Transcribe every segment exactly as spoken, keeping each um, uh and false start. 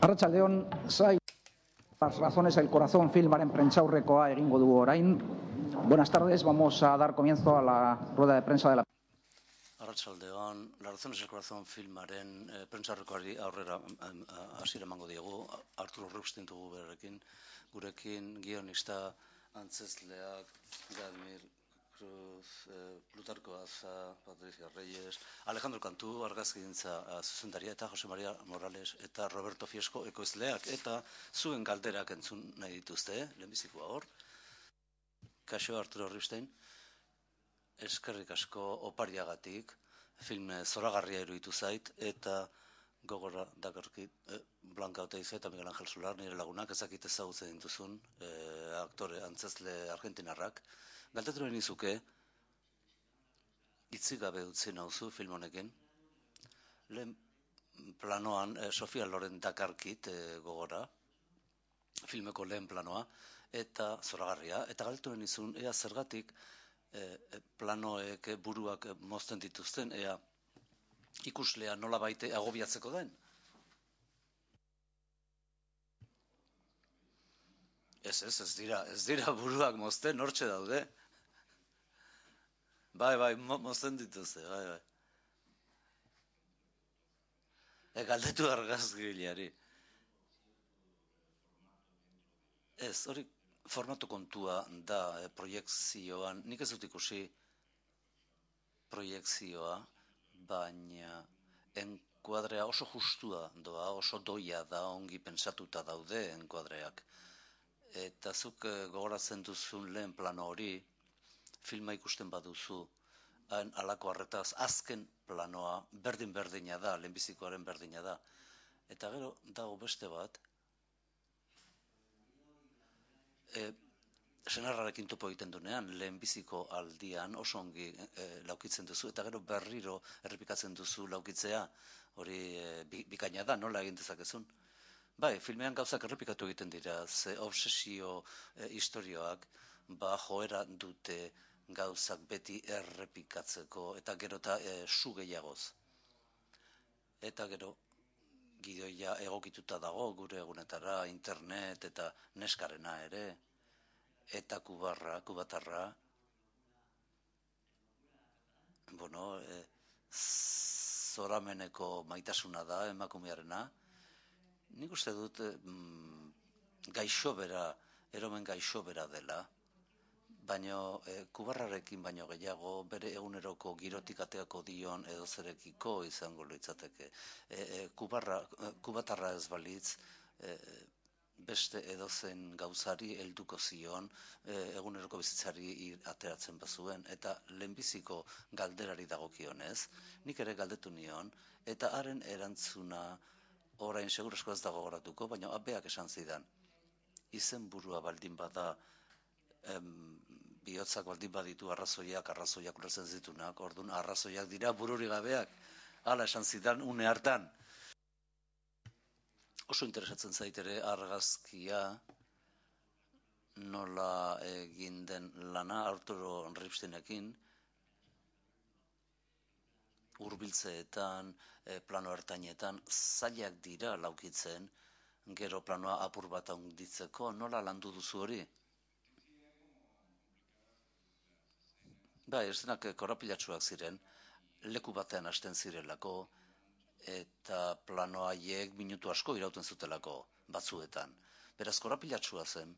Arratsaldeon, zai, las razones el corazón filmaren prentsaurrekoa egingo dugu orain. Buenas tardes, vamos a dar comienzo a la rueda de prensa de la... Arratsaldeon, las razones el corazón filmaren eh, prentsaurrekoari aurrera hasiera emango diegu. Arturo Rupstein dugu berekin, gurekin guionista, antzezleak, Gadmir Cruz, eh, Plutarco Aza, Patricia Reyes, Alejandro Cantu, argazkigintza eh, zuzendaria, eta Jose Maria Morales eta Roberto Fiesco ekoizleak, eta zuen galderak entzun nahi dituzte, eh? Lehenbizikoa hor. Kaixo, Arturo Rupstein, eskerrik asko opariagatik, film zoragarria iruditu zait, eta gogora dakarkit eh, Blanca Oteiza eta Miguel Ángel Solar, nire lagunak, ezakit ezagutzen dituzun, eh, aktore antzezle argentinarrak. Galdetu nahi nizuke, hitzik gabe utzi nauzu film honekin. Lehen planoan eh, Sofia Loren dakarkit eh, gogora, filmeko lehen planoa, eta zoragarria, eta galdetu nahi nizun, ea zergatik eh, planoek eh, buruak eh, mozten dituzten, ea ikuslea nola baite agobiatzeko den. Ez, ez, ez dira, ez dira buruak mozten, hortxe daude. Bai, bai, mo mozten dituzte, bai, bai. E, galdetu argazgileari. Ez, hori formatu kontua da e, proiekzioan, nik ez dut ikusi proiekzioa, baina enkuadrea oso justua doa, oso doia da, ongi pentsatuta daude enkuadreak. Eta zuk e, gogoratzen duzun lehen plano hori, filma ikusten baduzu, hain alako harretaz, azken planoa berdin-berdina da, lehenbizikoaren berdina da. Eta gero dago beste bat, e, senarrarekin topo egiten dunean, lehenbiziko aldian oso ongi e, laukitzen duzu, eta gero berriro errepikatzen duzu laukitzea, hori e, bikaina da, nola egin dezakezun. Bai, filmean gauzak errepikatu egiten dira, ze obsesio e, historioak, ba joera dute gauzak beti errepikatzeko, eta gero eta e, su gehiagoz. Eta gero gidoia egokituta dago gure egunetara, internet eta neskarena ere, eta kubarra, kubatarra, bueno, e, zorameneko maitasuna da emakumearena. Nik uste dut mm, gaixobera, eromen gaixobera dela, baino e, kubarrarekin baino gehiago bere eguneroko girotik ateako dion edo zerekiko izango litzateke. E, e, kubarra, kubatarra ez balitz, e, beste edozen gauzari helduko zion, e, eguneroko bizitzari ateratzen bazuen, eta lehenbiziko galderari dagokionez, nik ere galdetu nion, eta haren erantzuna orain segurasko ez dago goratuko, baina abeak esan zidan. Izen burua baldin bada, em, bihotzak baldin baditu arrazoiak, arrazoiak ulertzen zitunak, orduan arrazoiak dira bururi gabeak, hala esan zidan une hartan. Oso interesatzen zaitere argazkia, nola egin den lana Arturo Ripsteinekin, hurbiltzeetan, e, plano ertainetan, zailak dira laukitzen, gero planoa apur bat handitzeko, nola landu duzu hori? Bai, ez denak korapilatsuak ziren, leku batean hasten zirelako, eta plano haiek minutu asko irauten zutelako batzuetan. Beraz, korapilatsua zen,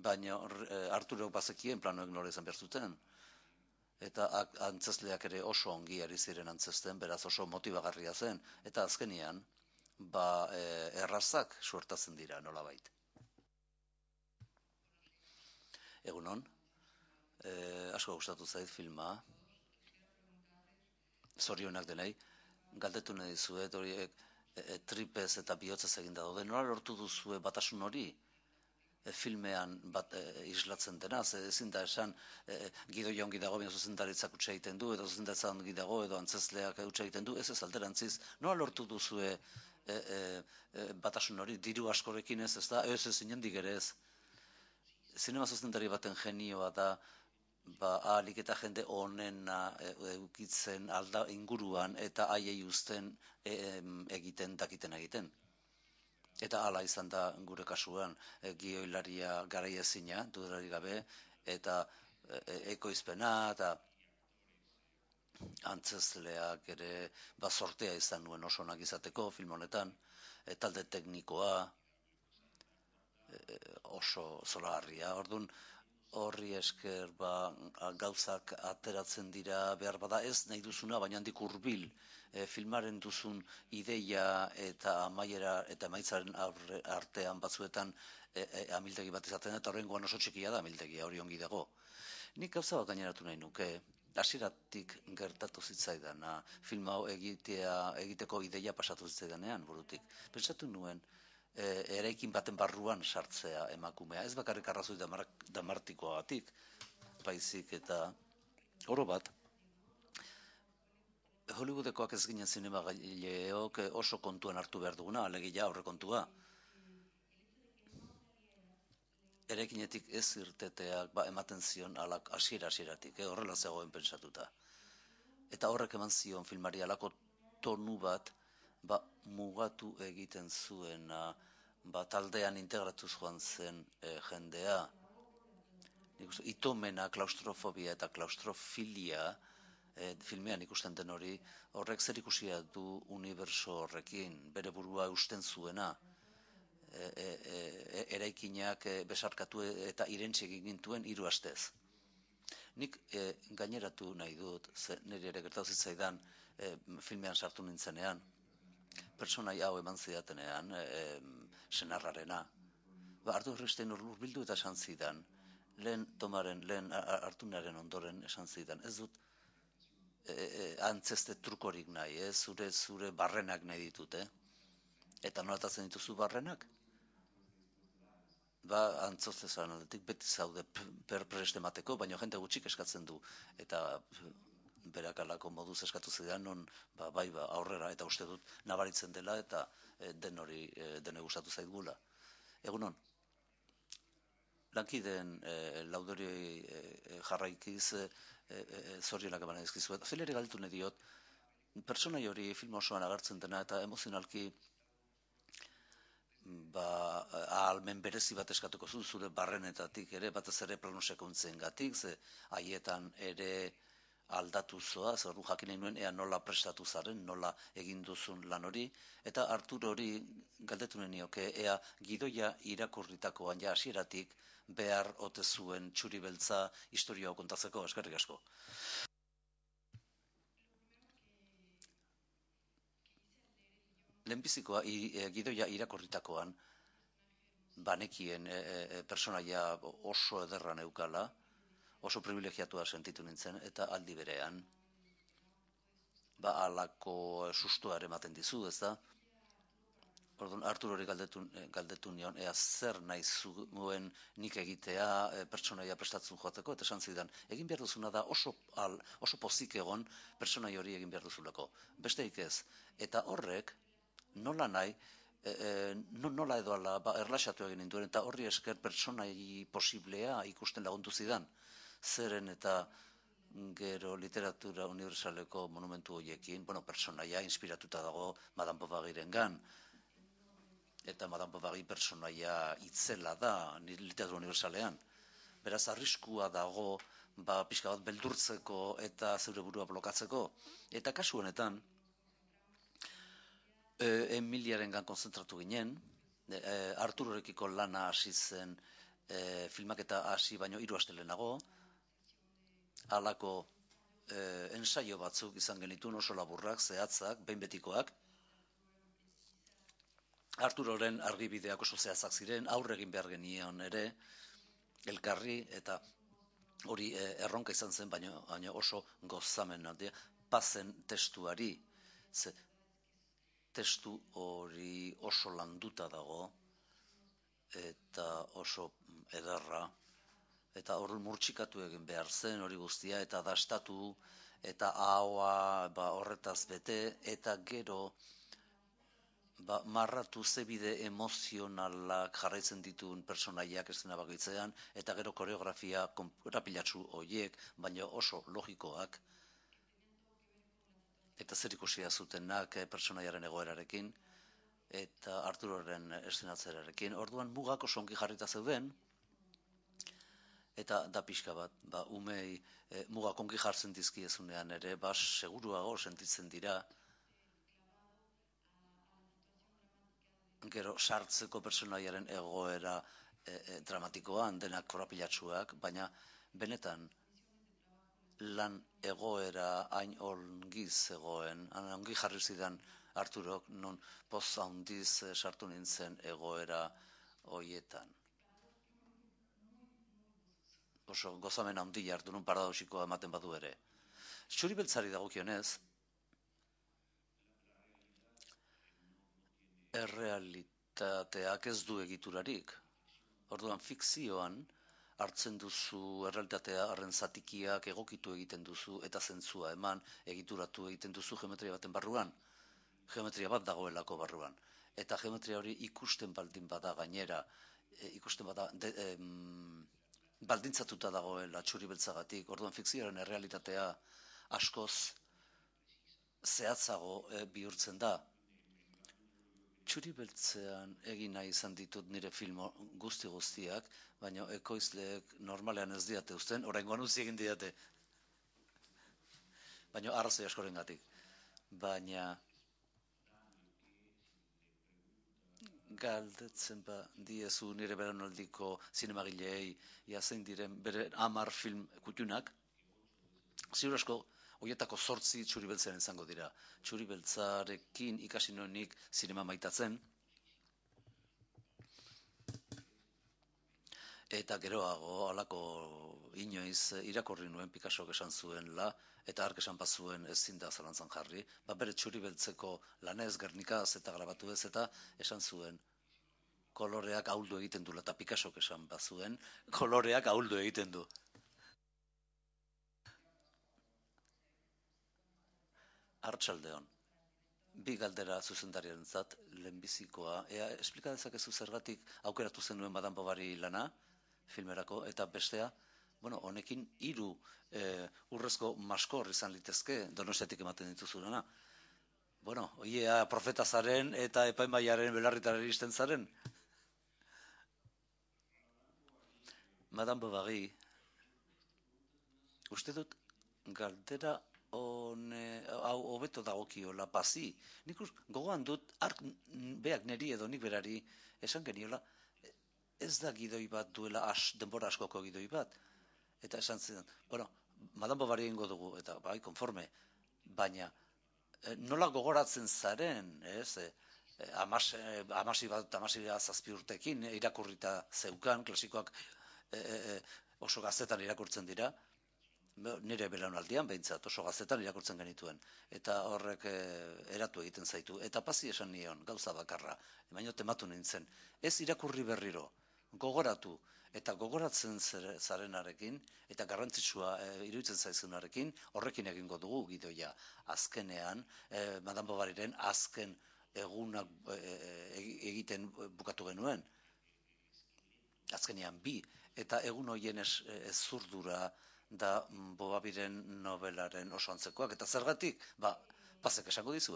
baina e, Arturok bazekien planoek nola izan behar zuten. Eta antzezleak ere oso ongi ari ziren antzesten, beraz oso motibagarria zen. Eta azkenian, ba, e, errazak suertatzen dira nolabait. Egunon, e, asko gustatu zait filma, zorionak denei, galdetu nahi dizuet, horiek e, tripez eta bihotzez eginda daude, nola lortu duzue batasun hori? E, filmean bat e, islatzen dena, ze ezin da esan e, gidoia ongi dago, baina zuzendaritzak utxe egiten du, edo zuzendaritza ongi dago, edo antzezleak utxe egiten du, ez ez alderantziz, nola lortu duzue e, e, e, batasun hori, diru askorekin ez, ez da, ez ez inendik ere ez. Zinema zuzendari baten genioa da, ba, ahalik eta jende honena eukitzen alda inguruan eta haiei uzten e, egiten dakiten egiten. Eta hala izan da gure kasuan, e, gioilaria garaiezina, dudari gabe, eta e, ekoizpena, eta antzezleak ere ba, sortea izan nuen oso onak izateko film honetan, e, talde teknikoa, e, oso zoragarria. Orduan, horri esker ba, gauzak ateratzen dira behar bada ez nahi duzuna, baina handik hurbil e, filmaren duzun ideia eta amaiera eta emaitzaren artean batzuetan e, e, amildegi bat izaten, eta horrengoan oso txikia da amildegia, hori ongi dago. Nik gauza bat gaineratu nahi nuke, hasieratik gertatu zitzaidana, film hau egitea, egiteko ideia pasatu zitzaidanean burutik. Pentsatu nuen, E, eraikin baten barruan sartzea emakumea. Ez bakarrik arrazoi damartikoagatik, baizik eta oro bat, Hollywoodekoak ez ginen zinemagaileok oso kontuan hartu behar duguna, alegia aurrekontua. Eraikinetik ez irteteak ba, ematen zion alak hasiera hasieratik, eh, horrela zegoen pentsatuta. Eta horrek eman zion filmari alako tonu bat, ba, mugatu egiten zuena, ba, taldean integratuz joan zen e, jendea. Itomena, klaustrofobia eta klaustrofilia, e, filmean ikusten den hori, horrek zer ikusia du uniberso horrekin, bere burua eusten zuena, e, e, e, eraikinak e, besarkatu eta irentsi egin gintuen hiru astez. Nik e, gaineratu nahi dut, ze, niri ere gertatu zitzaidan e, filmean sartu nintzenean, pertsonai hau eman zidatenean, e, senarrarena. Ba, Artur Rifstein urbildu eta esan zidan, lehen tomaren, lehen hartunaren ondoren esan zidan, ez dut e, e, antzeste trukorik nahi, eh? zure zure barrenak nahi ditut, eh? Eta nolatatzen dituzu barrenak? Ba, antzostezan aldetik beti zaude perprest emateko, baina jende gutxik eskatzen du. Eta berak alako moduz eskatu zidan, non ba, bai ba, aurrera, eta uste dut nabaritzen dela, eta e, den hori e, dene gustatu zaitgula. Egunon, lankideen e, laudori e, jarraikiz e, e, zorionak eman ezkizu. Fileri galtu nahi diot, pertsonai hori film osoan agertzen dena, eta emozionalki ba, ahalmen berezi bat eskatuko zu, zure barrenetatik ere, batez ere plano sekuntzen gatik, ze haietan ere aldatu zoa, zer du jakin nahi nuen, ea nola prestatu zaren, nola egin duzun lan hori, eta Artur hori galdetu nioke, ea gidoia irakurritakoan ja hasieratik behar ote zuen txuri beltza historia kontatzeko, eskerrik asko. Lehenbizikoa e, gidoia irakorritakoan banekien e, e, personaia oso ederra neukala, oso privilegiatua sentitu nintzen, eta aldi berean ba alako sustoa ematen dizu, ez da? Orduan, Artur hori galdetu, galdetu nion, ea zer nahi zuen nik egitea e, pertsonaia prestatzen joateko, eta esan zidan, egin behar duzuna da oso, al, oso pozik egon pertsonai hori egin behar duzulako. Besteik ez. Eta horrek, nola nahi, e, e, nola edo ala, ba, erlaxatu egin ninduen, eta horri esker pertsonai posiblea ikusten lagundu zidan. Zeren eta gero literatura universaleko monumentu horiekin, bueno, pertsonaia inspiratuta dago Madame Bovaryrengan, eta Madame Bovary pertsonaia itzela da literatura universalean. Beraz, arriskua dago, ba, pixka bat beldurtzeko eta zeure burua blokatzeko. Eta kasu honetan, e, Emiliarengan konzentratu ginen, e, Arturorekiko lana hasi zen e, filmaketa hasi baino hiru aste lehenago, halako e, ensaio batzuk izan genituen oso laburrak, zehatzak, behin betikoak. Arturoren argibideak oso zehatzak ziren, aurre egin behar genion ere, elkarri, eta hori e, erronka izan zen, baina, baina oso gozamen, pazen testuari, ze testu hori oso landuta dago, eta oso ederra, eta hor murtsikatu egin behar zen hori guztia, eta dastatu, eta ahoa ba, horretaz bete, eta gero ba, marratu zebide emozionalak jarraitzen dituen personaiak eszena bakoitzean, eta gero koreografia korapilatsu horiek, baina oso logikoak, eta zer ikusia zutenak eh, personaiaren egoerarekin, eta Arturoren eszenatzerarekin. Orduan mugak oso ongi jarrita zeuden, eta da pixka bat, ba, umei e, mugak ongi jartzen dizkiezunean ere, ba, seguruago sentitzen dira, gero sartzeko personaiaren egoera e, e, dramatikoan, denak korapilatsuak, baina benetan lan egoera hain ongi zegoen, hain ongi jarri zidan Arturok, non poz handiz e, sartu nintzen egoera hoietan. Oso gozamen handi hartu nun paradoxikoa ematen badu ere. Txuri beltzari dagokionez, errealitateak ez du egiturarik. Orduan fikzioan hartzen duzu errealitatea harren zatikiak egokitu egiten duzu eta zentzua eman egituratu egiten duzu geometria baten barruan. Geometria bat dagoelako barruan. Eta geometria hori ikusten baldin bada gainera, e, ikusten bada de, em, baldintzatuta dagoela txuri beltzagatik. Orduan fikzioaren errealitatea askoz zehatzago e, bihurtzen da. Txuri beltzean egin nahi izan ditut nire film guzti guztiak, baina ekoizleek normalean ez diate uzten, oraingoan utzi egin diate. Baina arrazoi askorengatik. Baina galdetzen ba diezu nire belaunaldiko zinemagileei ia zein diren bere hamar film kuttunak, ziur asko horietako zortzi txuri beltzean izango dira. Txuri beltzarekin ikasi nuenik zinema maitatzen, eta geroago halako inoiz irakurri nuen Picassok esan zuenla, eta hark esan bazuen ezin da zalantzan jarri, ba bere txuri beltzeko lanez Gernikaz eta grabatu ez, eta esan zuen koloreak ahuldu egiten du, eta Picassok esan bazuen koloreak ahuldu egiten du. Arratsaldeon. Bi galdera zuzendariarentzat, lehenbizikoa, ea esplika dezakezu zergatik aukeratu zenuen Madame Bovary lana filmerako, eta bestea, bueno, honekin hiru e, urrezko maskor izan litezke Donostiatik ematen dituzulana. Bueno, oiea profeta zaren eta epaimaiaren belarritara iristen zaren. Madame Bovary, uste dut galdera hone, hau hobeto dagokiola pazi. Nik gogoan dut, ark beak neri edo nik berari esan geniola, ez da gidoi bat duela as, denbora askoko gidoi bat. Eta esan zen, bueno, Madame Bovary egingo dugu, eta bai, konforme, baina nola gogoratzen zaren, ez, e, amas, amasi bat, amasi zazpi urtekin, irakurrita zeukan, klasikoak e, e, oso gaztetan irakurtzen dira, nire belaunaldian behintzat oso gaztetan irakurtzen genituen, eta horrek e, eratu egiten zaitu, eta pazi esan nion, gauza bakarra, baina tematu nintzen, ez irakurri berriro, gogoratu, eta gogoratzen zarenarekin, eta garrantzitsua e, iruditzen zaizunarekin, horrekin egingo dugu gidoia. Azkenean, e, Madame Bovaryren azken egunak e, egiten bukatu genuen, azkenean bi, eta egun horien ez, ez zurdura, da Bovaryren novelaren oso antzekoak. Eta zergatik? Ba, pasek esango dizu.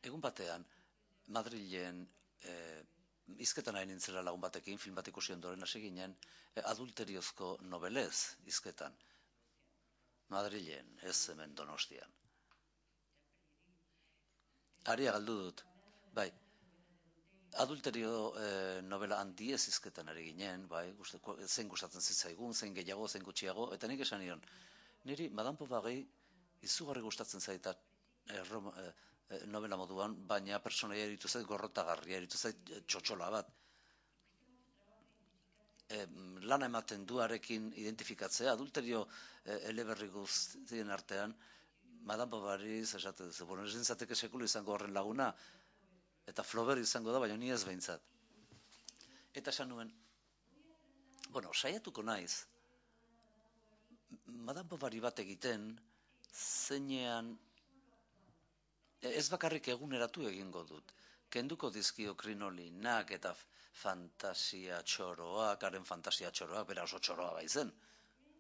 Egun batean, Madrilen e, izketan nahi nintzela lagun batekin, film bat ikusi ondoren hasi ginen, e, adulteriozko nobelez izketan. Madrilen, ez hemen Donostian. Aria galdu dut, bai. Adulterio eh, novela handiez izketan ari ginen, bai, guste, zein gustatzen zitzaigun, zein gehiago, zein gutxiago, eta nik esan nion, niri Madame Bovary izugarri gustatzen zaita eh, eh, novela moduan, baina personaia eritu zait gorrotagarria, eritu zait txotxola bat. E, lana ematen duarekin identifikatzea, adulterio eh, eleberri guztien artean, Madame Bovary, esaten duzu, bueno, ez nintzateke sekulu izango horren laguna, eta Flaubert izango da, baina ni ez behintzat. Eta esan nuen, bueno, saiatuko naiz, Madame Bovary bat egiten, zeinean ez bakarrik eguneratu egingo dut. Kenduko dizkio krinolinak eta fantasia txoroak, haren fantasia txoroak, bera oso txoroa baizen,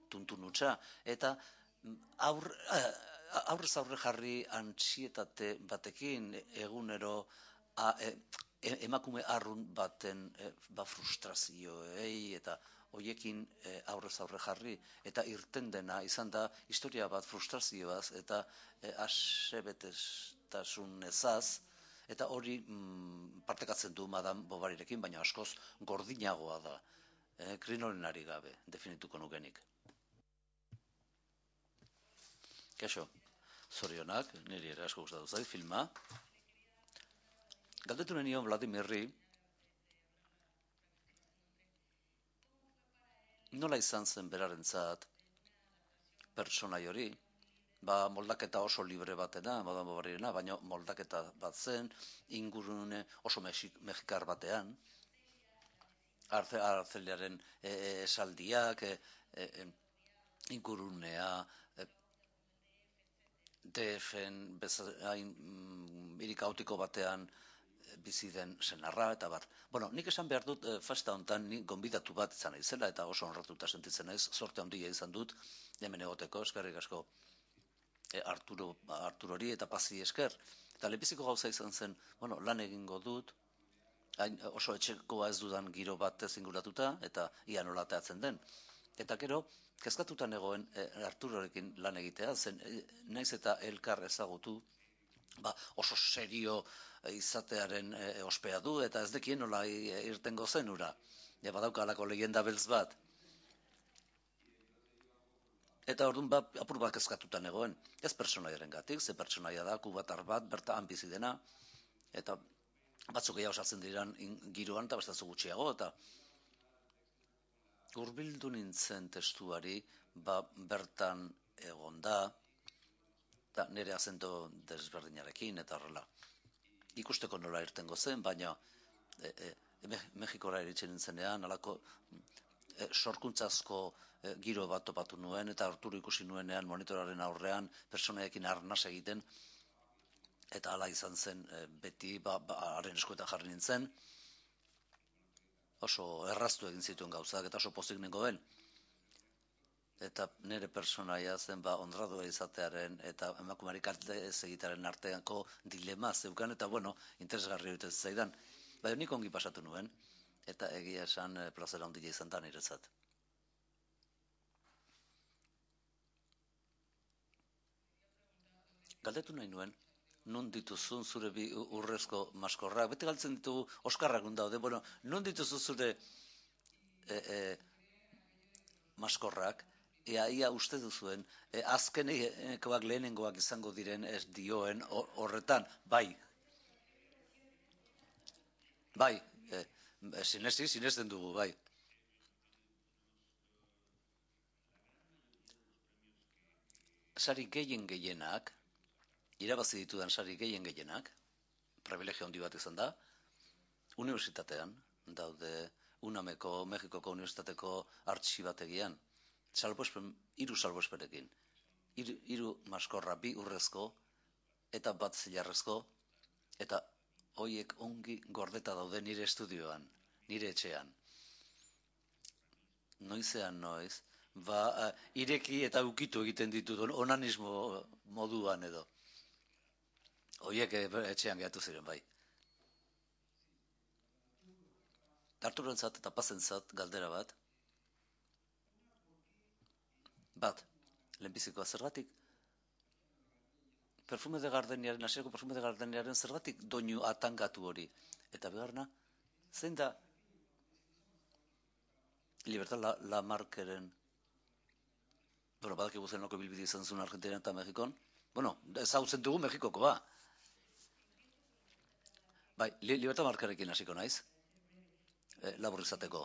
tuntun hutsa, eta aur, aurrez aurre jarri antsietate batekin egunero a, e, emakume arrun baten e, ba frustrazioei eta hoiekin e, aurrez aurre jarri, eta irten dena izan da historia bat frustrazioaz eta e, asebetestasun ezaz, eta hori mm, partekatzen du Madame Bovaryrekin, baina askoz gordinagoa da, e, krinolenari gabe, definituko nukenik. Kaixo, zorionak, niri ere asko gustatu zait filma. Galdetu nion Vladimirri nola izan zen berarentzat pertsonai hori, ba moldaketa oso libre batena, Madame Bovaryena, baina moldaketa bat zen, ingurune oso mexikar batean, Arceliaren esaldiak, e, e, ingurunea, e, D F-en bezain mm, hiri kaotiko batean bizi den senarra, eta bar. Bueno, nik esan behar dut, e, festa honetan nik gonbidatu bat izan naizela, eta oso honratuta sentitzen naiz, sorte handia izan dut, hemen egoteko, eskerrik asko e, Arturo, Arturori eta Pazi esker. Eta lehenbiziko gauza izan zen, bueno, lan egingo dut, hain oso etxekoa ez dudan giro bat zinguratuta, eta ia nola ateatzen den. Eta gero, kezkatuta negoen e, Arturorekin lan egitea, zen e, naiz eta elkar ezagutu, ba, oso serio izatearen e, ospea du, eta ez dekien nola irtengo zen ura. Ja, badauka alako legenda beltz bat. Eta orduan ba, apur bat kezkatuta negoen. Ez pertsonaiaren gatik, ze pertsonaia da, kubatar bat, bertan bizi dena, eta batzuk gehiago sartzen diran giroan, eta bastatzu gutxiago, eta hurbildu nintzen testuari, ba, bertan egon da, eta nire azento desberdinarekin, eta horrela. Ikusteko nola irtengo zen, baina e, e, Mexikora eritzen nintzenean, alako e, sorkuntzazko e, giro bat topatu nuen, eta Arturo ikusi nuenean monitoraren aurrean personaiekin arnas egiten, eta hala izan zen e, beti, ba, ba, haren eskuetan jarri nintzen, oso erraztu egin zituen gauzak, eta oso pozik nengoen. Eta nire personaia zen ba honradua izatearen eta emakumeari kalte ez egitearen arteako dilema zeukan, eta bueno, interesgarri egiten zaidan. Baina nik ongi pasatu nuen, eta egia esan e, plazera handia izan da niretzat. Galdetu nahi nuen, non dituzun zure bi urrezko maskorrak, bete galtzen ditugu Oskarrak daude, bueno, non dituzu zure e, e, maskorrak, ea ia uste duzuen, e, azkenekoak lehenengoak izango diren ez dioen horretan, bai. Bai, e, sinesi, sinesten dugu, bai. Sari gehien gehienak, irabazi ditudan sari gehien gehienak, privilegio handi bat izan da, unibertsitatean daude UNAMeko, Mexikoko unibertsitateko artxibategian, salbuespen, hiru salbuespenekin, hiru, hiru maskorra, bi urrezko, eta bat zilarrezko, eta hoiek ongi gordeta daude nire estudioan, nire etxean. Noizean noiz, ba, ireki eta ukitu egiten ditut, onanismo moduan edo. Hoiek etxean gehatu ziren, bai. Arturoentzat eta Pazentzat galdera bat. Bat, lehenbizikoa zergatik, perfume de gardeniaren, hasierako perfume de gardeniaren zergatik doinu atangatu hori. Eta beharna, zein da Libertad la, la Markeren, bueno, badakigu zenoko bilbide izan zuen Argentina eta Mexikon, bueno, ezagutzen dugu Mexikoko, ba. Bai, Libertad Markerekin hasiko naiz, e, labur izateko.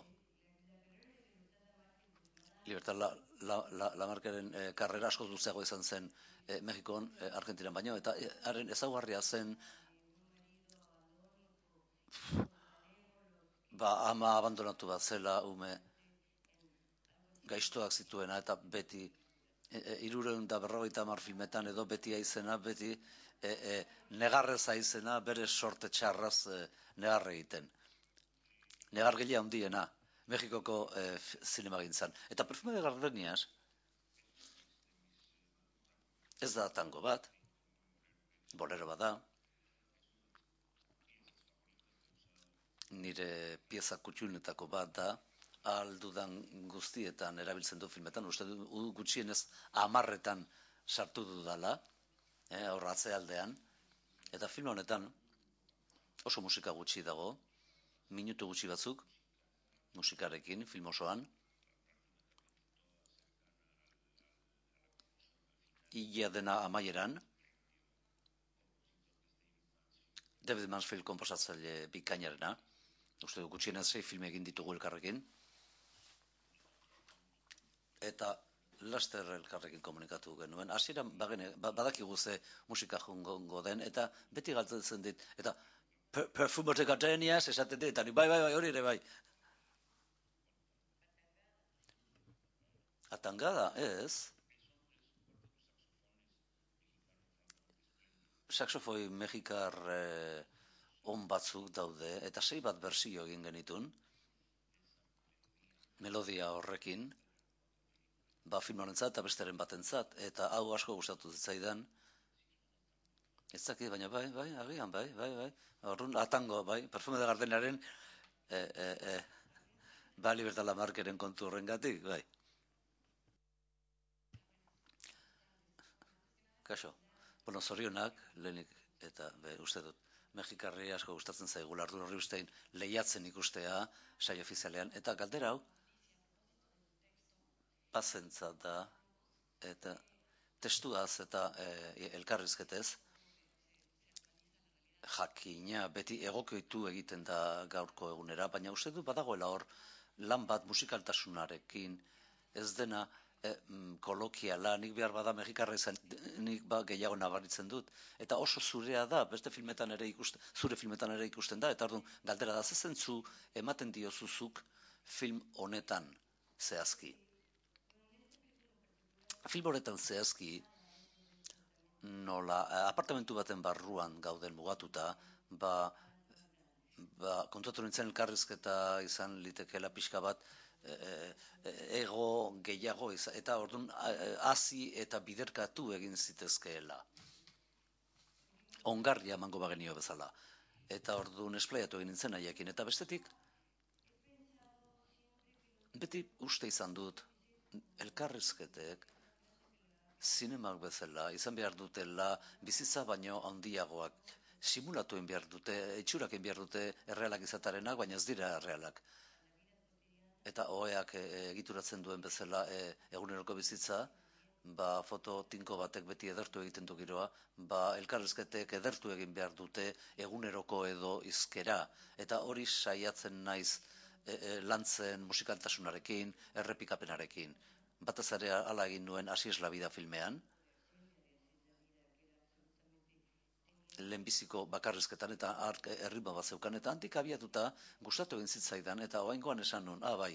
Libertad la, la, la, la Markeren e, karrera asko luzeago izan zen e, Mexikon, e, Argentinan baino, eta haren e, ezaugarria zen ba, ama abandonatu bat zela ume gaiztoak zituena, eta beti hirurehun eta berrogeita hamar filmetan edo beti aizena, beti e, e, negarrez aizena, bere sorte txarraz e, negar egiten. Negargile handiena, Mexikoko e, zinemagintzan. Eta Perfume de Gardenias ez da tango bat, bolero bat da, nire pieza kutxunetako bat da, aldudan guztietan erabiltzen du filmetan, uste du gutxienez amarretan sartu dudala, eh, aurratze aldean, eta film honetan oso musika gutxi dago, minutu gutxi batzuk, musikarekin, film osoan, ia dena amaieran, David Mansfield konposatzaile bikainarena, uste du gutxienez sei film egin ditugu elkarrekin, eta laster elkarrekin komunikatu genuen. Hasieran badakigu ze musika jongo den, eta beti galtzen dit, eta Perfume de Gardenias esaten dit, eta bai, bai, bai, hori ere bai. Atangada, ez. Saxofoi mexikar eh, on batzuk daude, eta sei bat bersio egin genitun, melodia horrekin, ba film honentzat eta besteren batentzat, eta hau asko gustatu zitzaidan. Ez dakit, baina bai, bai, agian, bai, bai, bai. Orrun, atango, bai, Perfume de Gardenaren e, e, e, ba Libertad Lamarckeren kontu horrengatik, bai. Kaixo, bueno, zorionak, lehenik, eta be, uste dut, Mexikarri asko gustatzen zaigula Arturo Ripstein lehiatzen ikustea saio ofizialean, eta galdera hau, pazentza da, eta testuaz eta e, elkarrizketez, jakina beti egokitu egiten da gaurko egunera, baina uste du badagoela hor lan bat musikaltasunarekin, ez dena e, kolokiala, nik behar bada mexikarra izan, nik ba gehiago nabaritzen dut, eta oso zurea da, beste filmetan ere ikusten, zure filmetan ere ikusten da, eta orduan galdera da, zezentzu ematen diozuzuk film honetan zehazki. Film honetan zehazki, nola, apartamentu baten barruan gauden mugatuta, ba, ba kontuatu nintzen elkarrizketa izan litekeela pixka bat, e, e, ego gehiago izan, eta orduan hasi eta biderkatu egin zitezkeela. Ongarria emango bagenio bezala. Eta orduan esplaiatu egin nintzen haiekin, eta bestetik, beti uste izan dut, elkarrizketek, zinemak bezala, izan behar dutela, bizitza baino handiagoak, simulatuen behar dute, itxurak behar dute errealak izatarenak, baina ez dira errealak. Eta oheak egituratzen duen bezala e, eguneroko bizitza, ba foto tinko batek beti edertu egiten du giroa, ba elkarrizketek edertu egin behar dute eguneroko edo izkera, eta hori saiatzen naiz e, e, lantzen musikaltasunarekin, errepikapenarekin. Batez ere hala egin nuen Así es la vida filmean. Lehenbiziko bakarrizketan eta erritmo bat zeukan, eta handik abiatuta gustatu egin zitzaidan, eta oraingoan esan nun, ah bai,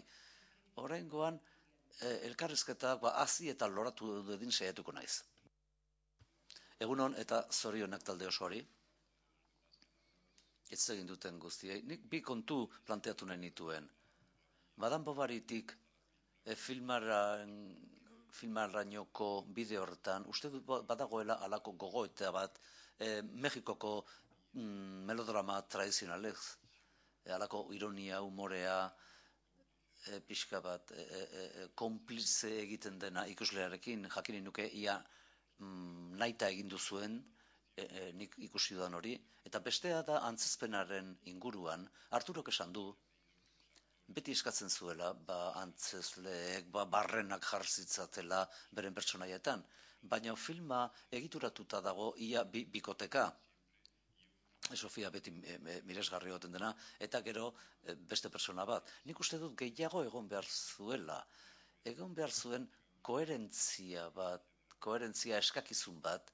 oraingoan e, elkarrizketak ba, hazi eta loratu dedin saiatuko naiz. Egunon eta zorionak talde osoari. Ez egin duten guztiei. Nik bi kontu planteatu nahi nituen. Madame Bovarytik E, filmaran, filmarainoko bide horretan, uste dut badagoela alako gogoeta bat, e, Mexikoko mm, melodrama tradizionalez, e, alako ironia, humorea, e, pixka bat, e, e, konplize egiten dena ikuslearekin, jakinen nuke ia mm, naita egin duzuen, e, e, nik ikusi dudan hori, eta bestea da antzezpenaren inguruan, Arturok esan du, beti eskatzen zuela, ba, antzezleek, ba, barrenak jarzitzatela beren pertsonaietan. Baina filma egituratuta dago ia bi, bikoteka. Sofia beti e, e, miresgarri goten dena, eta gero e, beste pertsona bat. Nik uste dut gehiago egon behar zuela. Egon behar zuen koherentzia bat, koherentzia eskakizun bat,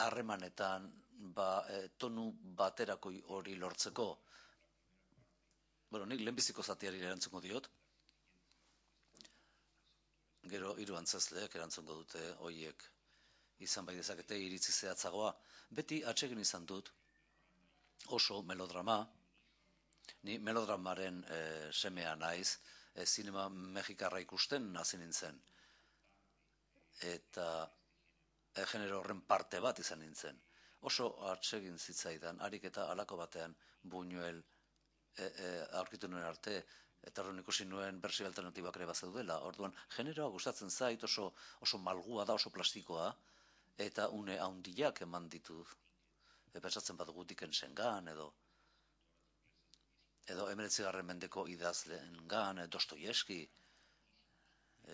harremanetan, ba, e, tonu baterako hori lortzeko. Bueno, nik lehenbiziko zatiari erantzungo diot. Gero hiru antzezleek erantzungo dute hoiek izan bai dezakete iritzi zehatzagoa. Beti atsegin izan dut oso melodrama, ni melodramaren e, semea naiz, e, zinema mexikarra ikusten hasi nintzen. Eta e, genero horren parte bat izan nintzen. Oso atsegin zitzaidan, harik eta halako batean Buñuel e, e, aurkitu nuen arte, eta horren ikusi nuen bersio alternatibak ere bazeudela. Orduan, generoa gustatzen zait, oso, oso malgua da, oso plastikoa, eta une handiak eman ditu. E, pentsatzen badugu Dickensengan, edo edo hemeretzigarren mendeko idazleengan, Dostoievski,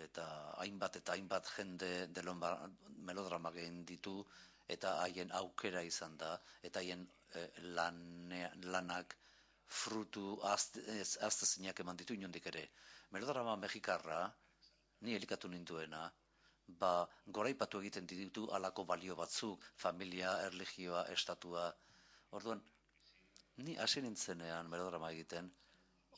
eta hainbat eta hainbat jende delon melodrama egin ditu, eta haien aukera izan da, eta haien e, lane, lanak frutu aztezinak eman ditu inondik ere. Melodrama mexikarra, ni elikatu ninduena, ba, goraipatu egiten ditu alako balio batzuk, familia, erlijioa, estatua. Orduan, ni hasi nintzenean melodrama egiten,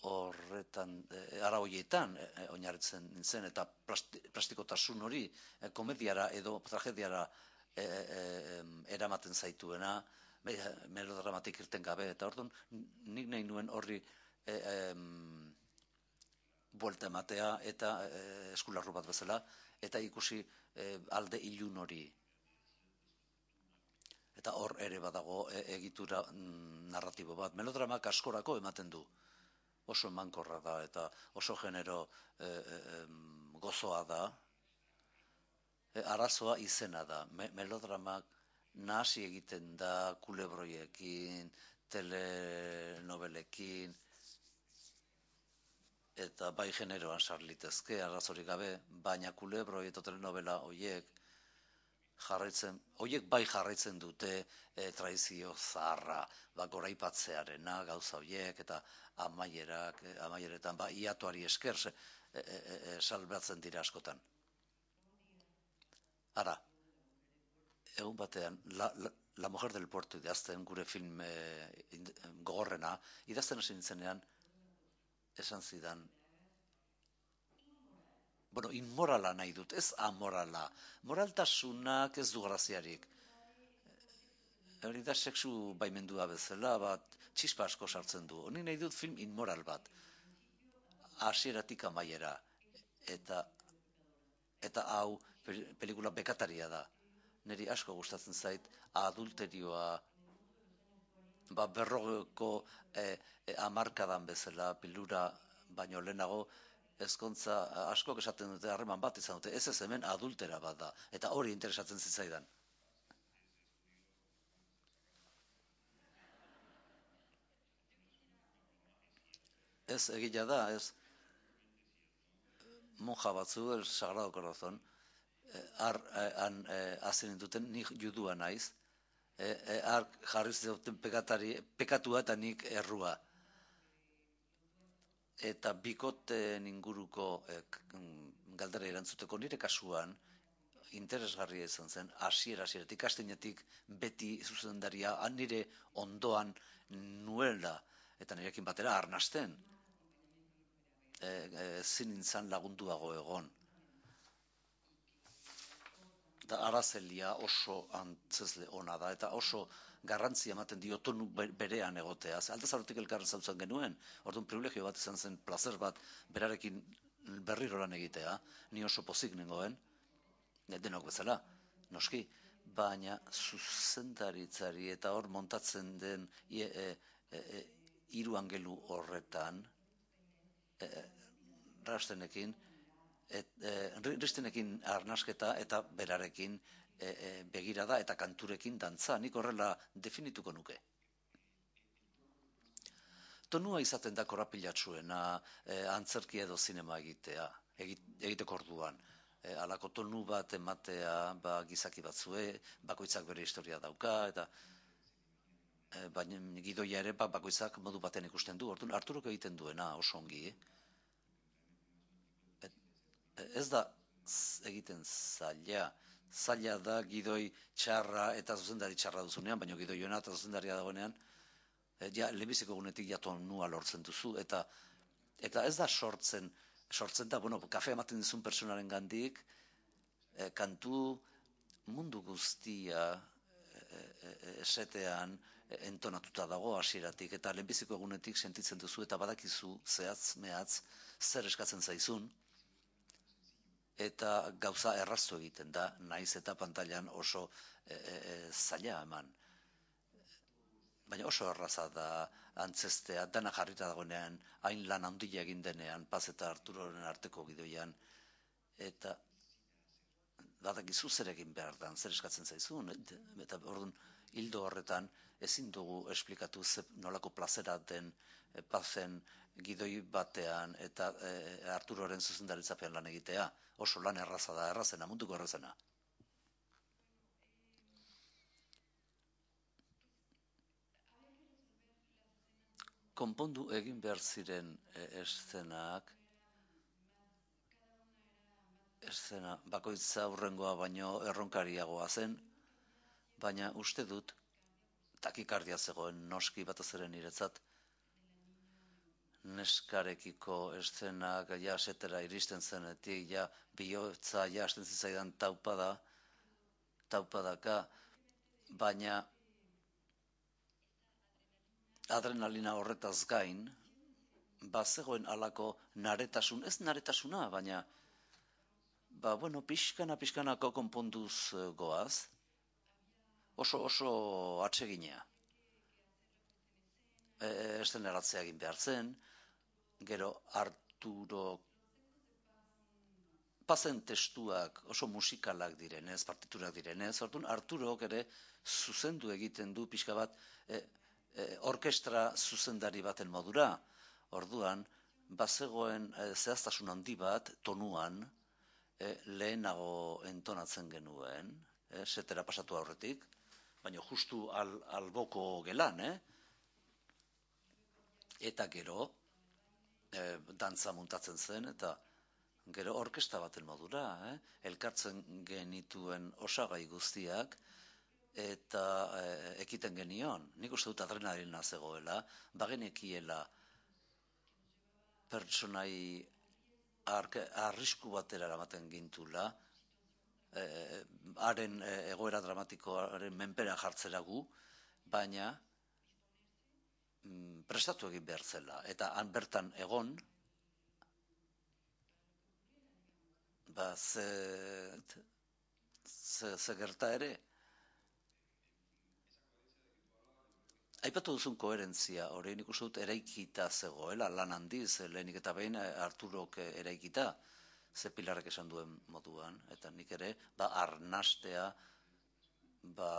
horretan, e, ara hoietan e, oinarritzen nintzen, eta plasti, plastikotasun hori e, komediara edo tragediara e, e, eramaten zaituena, e, melodramatik irten gabe, eta orduan nik nahi nuen horri e, e, buelta ematea eta e, eskularru bat bezala, eta ikusi e, alde ilun hori. Eta hor ere badago e, egitura mm, narratibo bat. Melodramak askorako ematen du. Oso emankorra da eta oso genero e, e, gozoa da. E, arazoa izena da. Me, melodramak nahasi egiten da kulebroiekin, telenovelekin, eta bai generoan sarlitezke, arazorik gabe, baina kulebroi eta telenovela hoiek jarraitzen, hoiek bai jarraitzen dute e, traizio zaharra, ba, goraipatzearena, gauza hoiek, eta amaierak, e, amaieretan, ba, iatuari esker e, e, e, salbatzen dira askotan. Ara, egun batean, la, la, la Mujer del Puerto idazten, gure film e, gogorrena, idazten hasi nintzenean, esan zidan, bueno, inmorala nahi dut, ez amorala. Moraltasunak ez du graziarik. Hori da sexu baimendua bezala, bat txispa asko sartzen du. Honi nahi dut film inmoral bat. Hasieratik amaiera. Eta, eta hau pelikula bekataria da. Neri asko gustatzen zait, adulterioa, ba, berrogeko e, e, amarkadan bezala, pilura baino lehenago, ezkontza askok esaten dute harreman bat izan dute, ez ez hemen adultera bat da, eta hori interesatzen zitzaidan. Ez egila da, ez monja batzu, el Sagrado Corazon, har han hazen duten, nik judua naiz, har jarri zuten pekatari, pekatua eta nik errua. Eta bikoteen inguruko eh, galdera erantzuteko nire kasuan interesgarria izan zen, hasiera hasieratik astinetik beti zuzendaria nire ondoan nuela eta nirekin batera arnasten. Ezin nintzen lagunduago egon. Eta Arazelia oso antzezle ona da, eta oso garrantzia ematen dio tonu berean egotea. Aldez aurretik elkarren zautzen genuen, orduan privilegio bat izan zen, plazer bat berarekin berriro lan egitea, ni oso pozik nengoen, denok bezala, noski, baina zuzendaritzari eta hor montatzen den e, e, e, hiru angelu horretan, e, rastenekin, et, e, ristenekin arnasketa eta berarekin e, e, begirada eta kanturekin dantza, nik horrela definituko nuke. Tonua izaten da korapilatsuena, e, antzerkia edo zinema egitea, egiteko orduan. E, alako tonu bat ematea, ba, gizaki batzue, bakoitzak bere historia dauka, eta e, baina gidoia ere ba, bakoitzak modu baten ikusten du, orduan Arturok egiten duena oso ongi. Et, ez da egiten zaila, zaila da gidoi txarra eta zuzendari txarra duzunean, baina gidoiona eta zuzendaria dagoenean, ja, lehenbiziko gunetik ja tonua lortzen duzu, eta eta ez da sortzen sortzen da, bueno, kafe ematen dizun personaren gandik, e, kantu mundu guztia e, e, esetean e, entonatuta dago hasieratik, eta lehenbiziko egunetik sentitzen duzu, eta badakizu zehatz, mehatz, zer eskatzen zaizun, eta gauza erraztu egiten da, naiz eta pantailan oso e, e, zaila eman. Baina oso erraza da antzestea, dana jarrita dagoenean, hain lan handia egin denean, Paz eta Arturoren arteko gidoian, eta badakizu zer egin behar dan, zer eskatzen zaizun, eta orduan hildo horretan ezin dugu esplikatu ze nolako plazera den e, Pazen gidoi batean eta e, Arturoren zuzendaritzapean lan egitea. Oso lan erraza da, errazena, munduko errazena. Konpondu egin behar ziren e, eszenak, eszena bakoitza aurrengoa baino erronkariagoa zen, baina uste dut takikardia zegoen noski batez ere niretzat, neskarekiko eszenak ja setera iristen zenetik, ja bihotza ja hasten zitzaidan taupada, taupadaka, baina adrenalina horretaz gain, bazegoen halako naretasun, ez naretasuna, baina ba, bueno, pixkana, pixkanako konponduz goaz, oso, oso atseginea. E, eszeneratzea egin behar zen, gero Arturo Pazen testuak oso musikalak direnez, partiturak direnez, orduan Arturok ere zuzendu egiten du pixka bat e, e, orkestra zuzendari baten modura. Orduan, bazegoen e, zehaztasun handi bat tonuan e, lehenago entonatzen genuen, e, setera pasatu aurretik, baina justu al, alboko gelan, eh? Eta gero, e, dantza muntatzen zen, eta gero orkesta baten modura, eh? Elkartzen genituen osagai guztiak, eta e, ekiten genion. Nik uste dut adrenalina zegoela, bagenekiela pertsonai arrisku batera eramaten gintula, e, haren e, egoera dramatikoaren menpera jartzera gu, baina mm, prestatu egin behar zela. Eta han bertan egon, ba, ze, ze, ze gerta ere. Aipatu duzun koherentzia, hori nik uste dut eraikita zegoela, lan handiz, lehenik eta behin Arturok eraikita, ze Pilarrek esan duen moduan, eta nik ere, ba, arnastea, ba,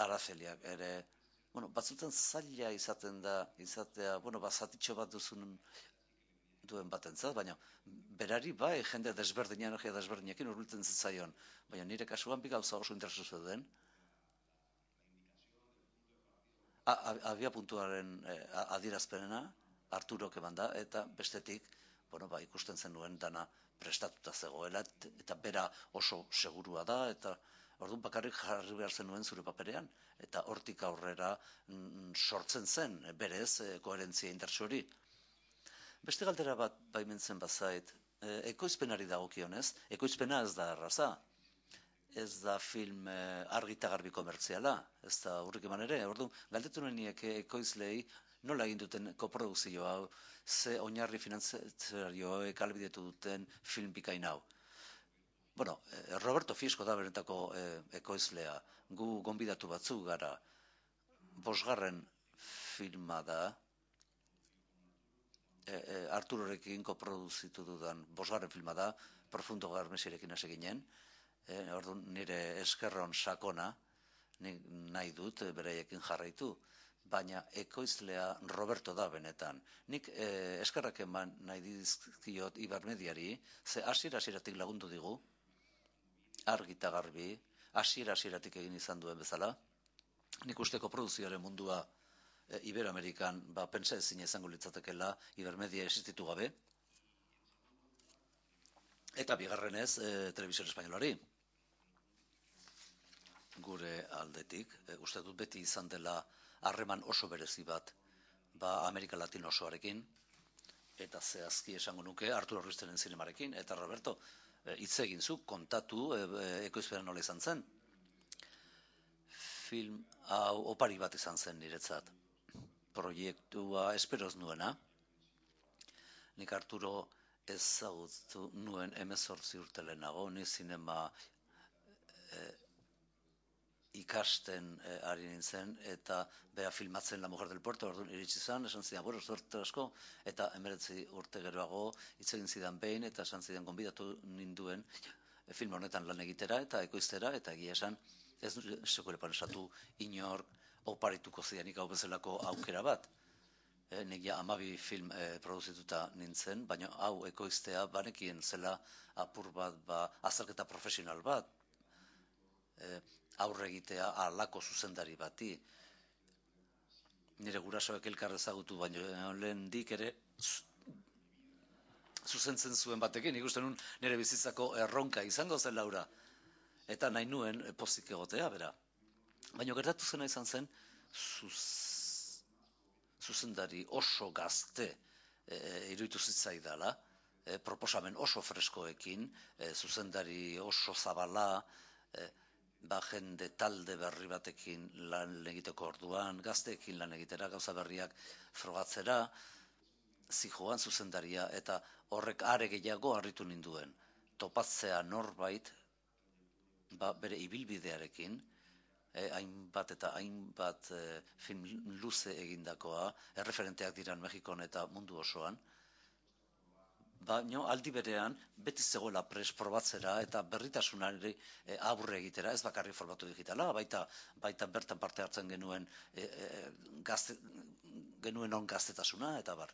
Araceliak ere, bueno, batzutan zaila izaten da, izatea, bueno, ba, zatitxo bat duzun duen batentzat, baina berari bai jende desberdina, energia desberdinekin hurbiltzen zitzaion, baina nire kasuan bi gauza oso interesu zeuden. Abia puntuaren eh, adierazpenena, Arturok eman da, eta bestetik, bueno, ba, ikusten zenuen dana prestatuta zegoela, eta bera oso segurua da, eta orduan bakarrik jarri behar zenuen zure paperean, eta hortik aurrera mm, sortzen zen, berez, eh, koherentzia indartsu hori. Beste galdera bat baimentzen bazait, e, ekoizpenari dagokionez, ekoizpena ez da erraza. Ez da film e, argi eta garbi komertziala, ez da urrik eman ere. Orduan, galdetu neniek ekoizlei nola egin duten koprodukzio hau, ze oinarri finanziarioek ahalbidetu duten film bikain hau. Bueno, Roberto Fiesco da benetako e, ekoizlea. Gu gonbidatu batzuk gara. Bosgarren filma da, e, e, Arturorekin koproduzitu dudan bosgarren filma da, Profundo Garmesirekin hasi ginen. E, orduan nire eskerron sakona, nik nahi dut beraiekin jarraitu, baina ekoizlea Roberto da benetan. Nik e, eskerrak eman nahi dizkiot Ibermediari, ze hasiera hasieratik lagundu digu, argi eta garbi, hasiera hasieratik egin izan duen bezala. Nik uste koprodukzioaren mundua e, Iberoamerikan ba, pentsa ezin izango litzatekela Ibermedia existitu gabe. Eta bigarrenez, e, Televisión Espainolari. Gure aldetik, e, uste dut beti izan dela harreman oso berezi bat ba Amerika Latino osoarekin, eta zehazki esango nuke Arturo Ruisteren zinemarekin, eta Roberto, hitz egin zu, kontatu e, e, ekoizpena nola izan zen. Film hau opari bat izan zen niretzat. Proiektua esperoz nuena. Nik Arturo ezagutu nuen hemezortzi urte lehenago, ni zinema e, ikasten e, ari nintzen, eta bera filmatzen La Mujer del Puerto, orduan iritsi zen, esan zidan, bueno, zorte asko, eta hemeretzi urte geroago hitz egin zidan behin, eta esan zidan gonbidatu ninduen e, film honetan lan egitera, eta ekoiztera, eta egia esan, ez sekulepan esatu inork oparituko zidanik hau bezalako aukera bat. E, nik ja amabi film e, produzituta nintzen, baina hau ekoiztea banekien zela apur bat, ba, azalketa profesional bat, e, aurre egitea halako zuzendari bati. Nire gurasoek elkar ezagutu, baina lehen dik ere zuzentzen zuen batekin, ikusten nun nire bizitzako erronka izango zen Laura. Eta nahi nuen pozik egotea, bera. Baina gertatu zena izan zen, zuz, zuzendari oso gazte e, iruditu zitzaidala, e, proposamen oso freskoekin, e, zuzendari oso zabala, e, ba jende talde berri batekin lan egiteko orduan, gazteekin lan egitera, gauza berriak frogatzera, zijoan zuzendaria, eta horrek are gehiago harritu ninduen. Topatzea norbait, ba, bere ibilbidearekin, eh, hainbat eta hainbat eh, film luze egindakoa, erreferenteak diran Mexikon eta mundu osoan, baina aldi berean beti zegoela pres probatzera eta berritasunari e, aurre egitera, ez bakarrik formatu digitala, baita, baita bertan parte hartzen genuen e, e, gazte, genuen on gaztetasuna, eta bar.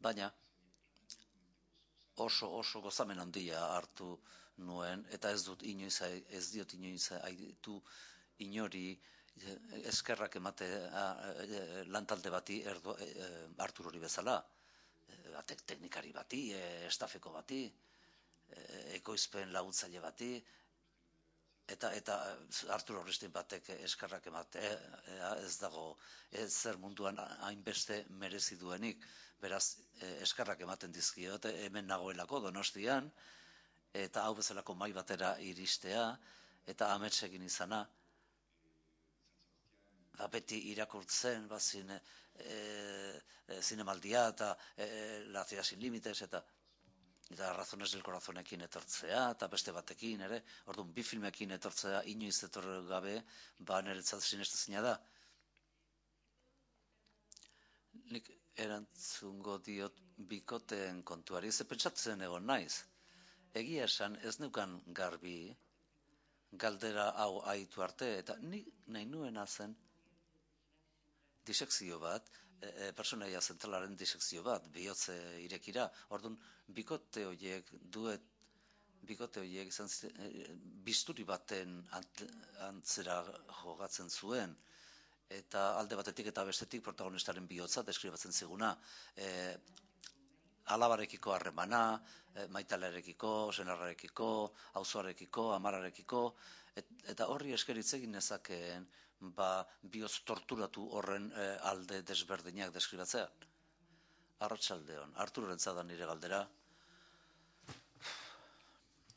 Baina oso oso gozamen handia hartu nuen, eta ez dut inoiz, ez diot inoiz aitu inori eskerrak emate lantalde bati erdo, e, Arturori bezala. Teknikari bati, e, estafeko bati, e, ekoizpen laguntzaile bati, eta eta Arturo Ristin batek eskerrak emate, e, ez dago ez zer munduan hainbeste merezi duenik, beraz e, eskerrak ematen dizkiot, hemen nagoelako Donostian, eta hau bezalako mai batera iristea, eta ametsekin izana, ba, beti irakurtzen, ba, zine, e, e, zinemaldia eta e, La Ciudad sin Límites eta eta Razones del Corazonekin etortzea, eta beste batekin ere, orduan bi filmekin etortzea inoiz etor gabe, ba niretzat sinestezina da. Nik erantzungo diot bikoteen kontuari, ze pentsatzen egon naiz. Egia esan ez neukan garbi galdera hau aitu arte, eta nik nahi nuena zen disekzio bat, e, personaia zentralaren disekzio bat, bihotze irekira. Orduan, bikote horiek duet, bikote horiek izan e, bisturi baten ant, antzera jogatzen zuen, eta alde batetik eta bestetik protagonistaren bihotza deskribatzen ziguna. E, alabarekiko harremana, e, maitalarekiko, senarrarekiko, auzoarekiko, amararekiko, et, eta horri esker hitz egin nezakeen, ba, bihotz torturatu horren e, alde desberdinak deskribatzea. Arratsaldeon, Arturoren zadan nire galdera.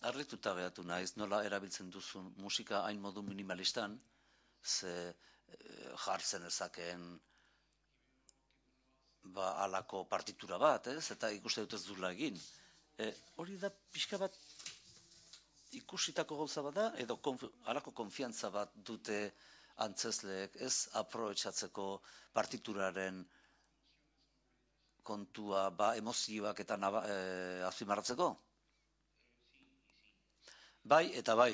Harrituta behatu naiz, nola erabiltzen duzun musika hain modu minimalistan, ze e, jartzen ezakeen ba, alako partitura bat, ez? Eta ikuste dut ez dula egin. E, hori da pixka bat ikusitako gauza bat da, edo konf, alako konfiantza bat dute antzesleek ez aprobetxatzeko partituraren kontua, ba, emozioak eta naba, e, azpimarratzeko? Bai eta bai.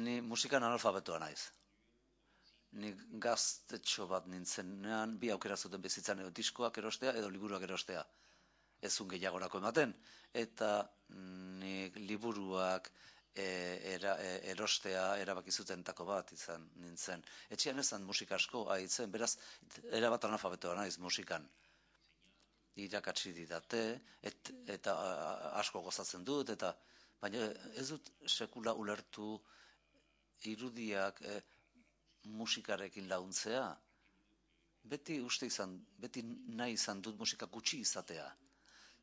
Ni musikan analfabetoa naiz. Ni gaztetxo bat nintzenean, bi aukera zuten bizitzan, edo diskoak erostea, edo liburuak erostea. Ezun gehiagorako ematen. Eta nik liburuak e, era, e, erostea erabaki zutentako bat izan nintzen. Etxean ezan musika asko haitzen, beraz, erabat analfabetoa naiz musikan. Irakatsi didate, et, eta a, asko gozatzen dut, eta baina ez dut sekula ulertu irudiak e, musikarekin launtzea, beti uste izan, beti nahi izan dut musika gutxi izatea.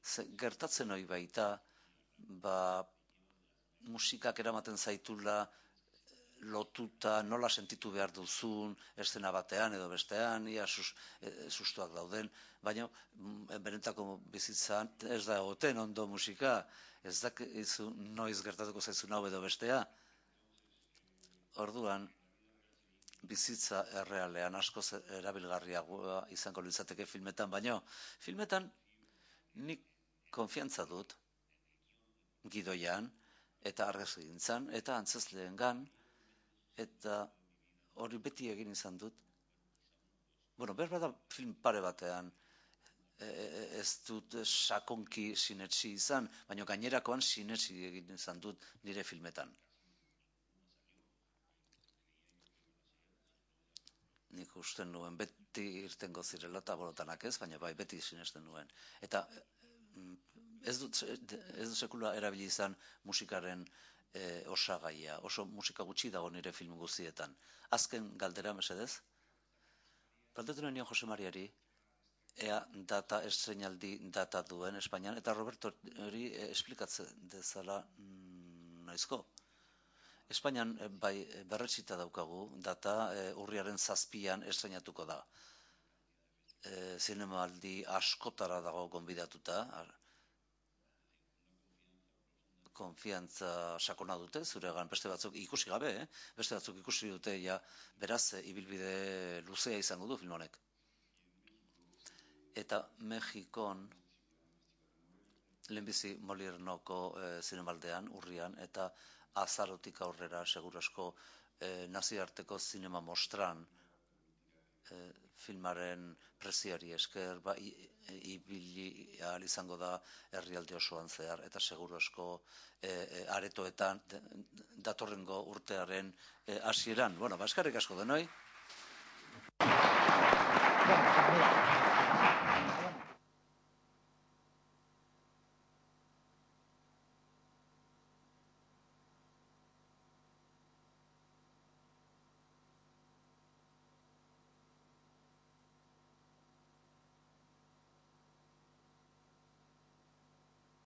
Ze, gertatzen hori baita, ba, musikak eramaten zaitula, lotuta nola sentitu behar duzun, eszena batean edo bestean, ia sus, e, sustuak dauden, baina benetako bizitzan ez da egoten ondo musika, ez da izu, noiz gertatuko zaizun hau edo bestea. Orduan, bizitza errealean askoz erabilgarriagoa izango litzateke filmetan, baina filmetan nik konfiantza dut gidoian eta argazkigintzan eta antzezleengan, eta hori beti egin izan dut. Bueno, behar da film pare batean e, ez dut sakonki sinetsi izan, baina gainerakoan sinetsi egin izan dut nire filmetan. Nik usten nuen beti irtengo zirela eta bolotanak ez, baina bai beti sinesten nuen. Eta ez dut, ez dut sekula erabili izan musikaren E, osagaia, oso musika gutxi dago nire film guztietan. Azken galdera, mesedez? Galdetu nion Jose Mariari, ea data, estreinaldi data duen Espainian, eta Roberto hori e, esplikatzen dezala mm, noizko. Espainian e, bai berretsita daukagu, data e, urriaren zazpian estreinatuko da. E, zinemaldi askotara dago gonbidatuta, konfiantza sakona dute, zuregan beste batzuk ikusi gabe, eh? beste batzuk ikusi dute, ja, beraz, ibilbide luzea izango du film honek. Eta Mexikon, lehenbizi Moliernoko e, zinemaldean, urrian, eta azarotik aurrera, segurasko, e, nazioarteko zinema mostran, e, filmaren preziari esker, ba, ibili ahal izango da herrialde osoan zehar, eta seguru asko e, e, aretoetan datorrengo urtearen e, hasieran. Bueno, baskarrik asko denoi. Bueno,